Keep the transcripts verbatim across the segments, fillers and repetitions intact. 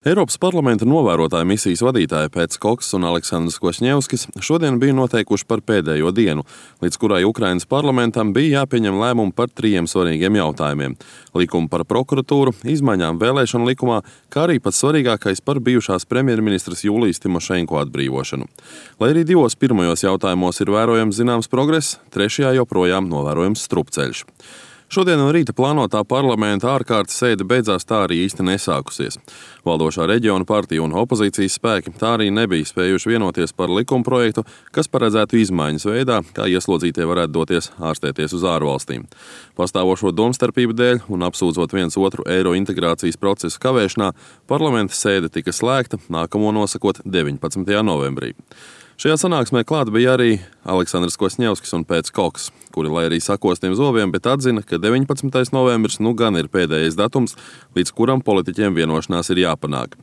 Eiropas parlamenta novērotāju misijas vadītāji Pēts Koks un Aleksandrs Kvašņevskis šodien bija noteikuši par pēdējo dienu, līdz kurai Ukrainas parlamentam bija jāpieņem lēmumu par trījiem svarīgiem jautājumiem – likumu par prokuratūru, izmaiņām vēlēšanu likumā, kā arī pats svarīgākais par bijušās premjerministras Julijas Timošenko atbrīvošanu. Lai arī divos pirmajos jautājumos ir vērojams zināms progress, trešajā joprojām novērojams strupceļš. Šodien no rīta plānotā parlamenta ārkārtas sēde beidzās tā arī īsti nesākusies. Valdošā reģiona partija un opozīcijas spēki tā arī nebija spējuši vienoties par likumprojektu, kas paredzētu izmaiņas veidā, kā ieslodzītie varētu doties ārstēties uz ārvalstīm. Pastāvošo domstarpību dēļ un apsūdzot viens otru eiro integrācijas procesu kavēšanā, parlamenta sēde tika slēgta, nākamo nosakot deviņpadsmitajā novembrī. Šajā sanāksmē klāt bija arī Aleksandrs Kvašņevskis un Pēts Koks, kuri, lai arī sakostiem zobiem, bet atzina, ka deviņpadsmitais novembris nu gan ir pēdējais datums, līdz kuram politiķiem vienošanās ir jāpanāk.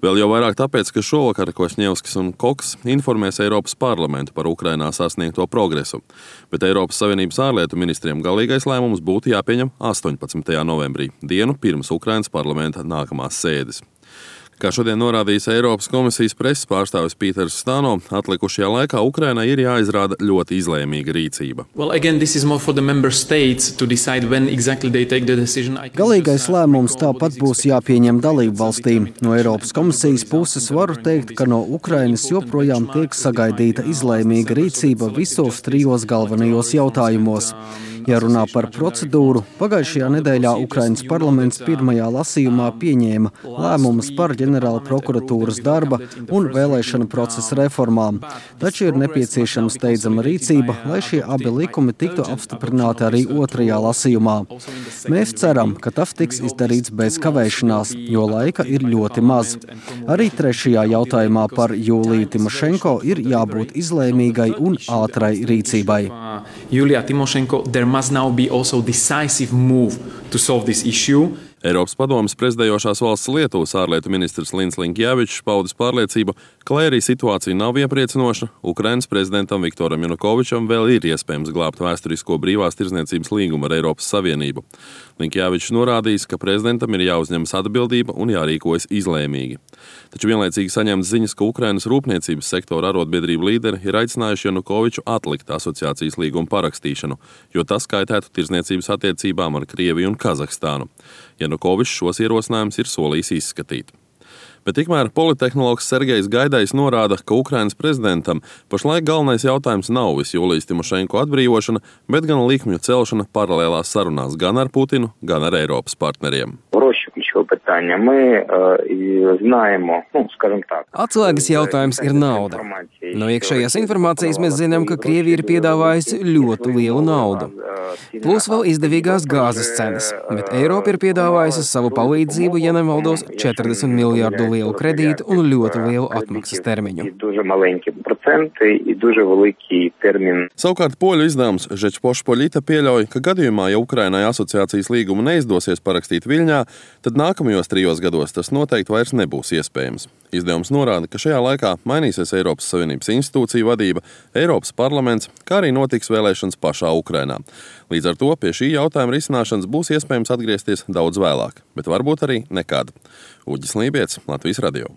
Vēl jau vairāk tāpēc, ka šovakar Kvašņevskis un Koks informēs Eiropas parlamentu par Ukrainā sasniegto progresu, bet Eiropas Savienības ārlietu ministriem galīgais lēmums būtu jāpieņem astoņpadsmitajā novembrī, dienu pirms Ukrainas parlamenta nākamās sēdes. Kā šodien norādījis Eiropas komisijas preses pārstāvis Pīters Stano, atlikušajā laikā Ukrainai ir jāizrāda ļoti izlēmīga rīcība. Well, again, exactly Galīgais lēmums tāpat būs jāpieņem dalību valstīm. No Eiropas komisijas puses varu teikt, ka no Ukrainas joprojām tiek sagaidīta izlēmīga rīcība visos trijos galvenajos jautājumos. Ja runā par procedūru, pagājušajā nedēļā Ukrainas parlaments pirmajā lasījumā pieņēma lēmumus par ģenerāla prokuratūras darba un vēlēšanu procesa reformām. Taču ir nepieciešama steidzama rīcība, lai šie abi likumi tiktu apstiprināti arī otrajā lasījumā. Mēs ceram, ka tas tiks izdarīts bez kavēšanās, jo laika ir ļoti maz. Arī trešajā jautājumā par Juliju Timošenko ir jābūt izlēmīgai un ātrai rīcībai. Julija Timošenko, there must now be also decisive move to solve this issue. Eiropas padomes prezidējošās valsts Lietuvas ārlietu ministrs Lins Linkevičs paudis pārliecību, ka, lai arī situācija nav iepriecinoša, Ukrainas prezidentam Viktoram Janukovičam vēl ir iespējams glābt vēsturisko brīvās tirdzniecības līgumu ar Eiropas Savienību. Linkevičs norādījis, ka prezidentam ir jāuzņemas atbildība un jārīkojas izlēmīgi. Taču vienlaicīgi saņemts ziņas, ka Ukrainas rūpniecības sektora arotbiedrību līderi ir aicinājuši Janukoviču atlikt asociācijas līgumu parakstīšanu, jo tas kaitētu tirdzniecības attiecībām ar Krieviju un Kazahstānu. Janukovičs šos ierosinājumus ir solījis izskatīt. Bet tikmēr politehnologs Sergejs Gaidais norāda, ka Ukrainas prezidentam pašlaik galvenais jautājums nav vis Julijas Timošenko atbrīvošana, bet gan likmju celšana paralēlās sarunās gan ar Putinu, gan ar Eiropas partneriem. Atslēgas jautājums ir nauda. No iekšējās informācijas mēs zinām, ka Krievija ir piedāvājusi ļoti lielu naudu. Plus vēl izdevīgās gāzes cenas, bet Eiropa ir piedāvājusi savu palīdzību, ja nemaldos, četrdesmit miljārdu lielu kredītu un ļoti lielu atmaksas termiņu. Savukārt poļu izdevums Žečpospolita pieļauj, ka gadījumā, ja Ukrainai asociācijas līgumu neizdosies parakstīt Viļņā, tad nākamajos trijos gados tas noteikti vairs nebūs iespējams. Izdevums norāda, ka šajā laikā mainīsies Eiropas Savienības institūciju vadība, Eiropas parlaments, kā arī notiks vēlēšanas pašā Ukrainā. Līdz ar to pie šī jautājuma risināšanas būs iespējams atgriezties daudz vēlāk, bet varbūt arī nekad. Uģis Lībietis, Latvijas radio.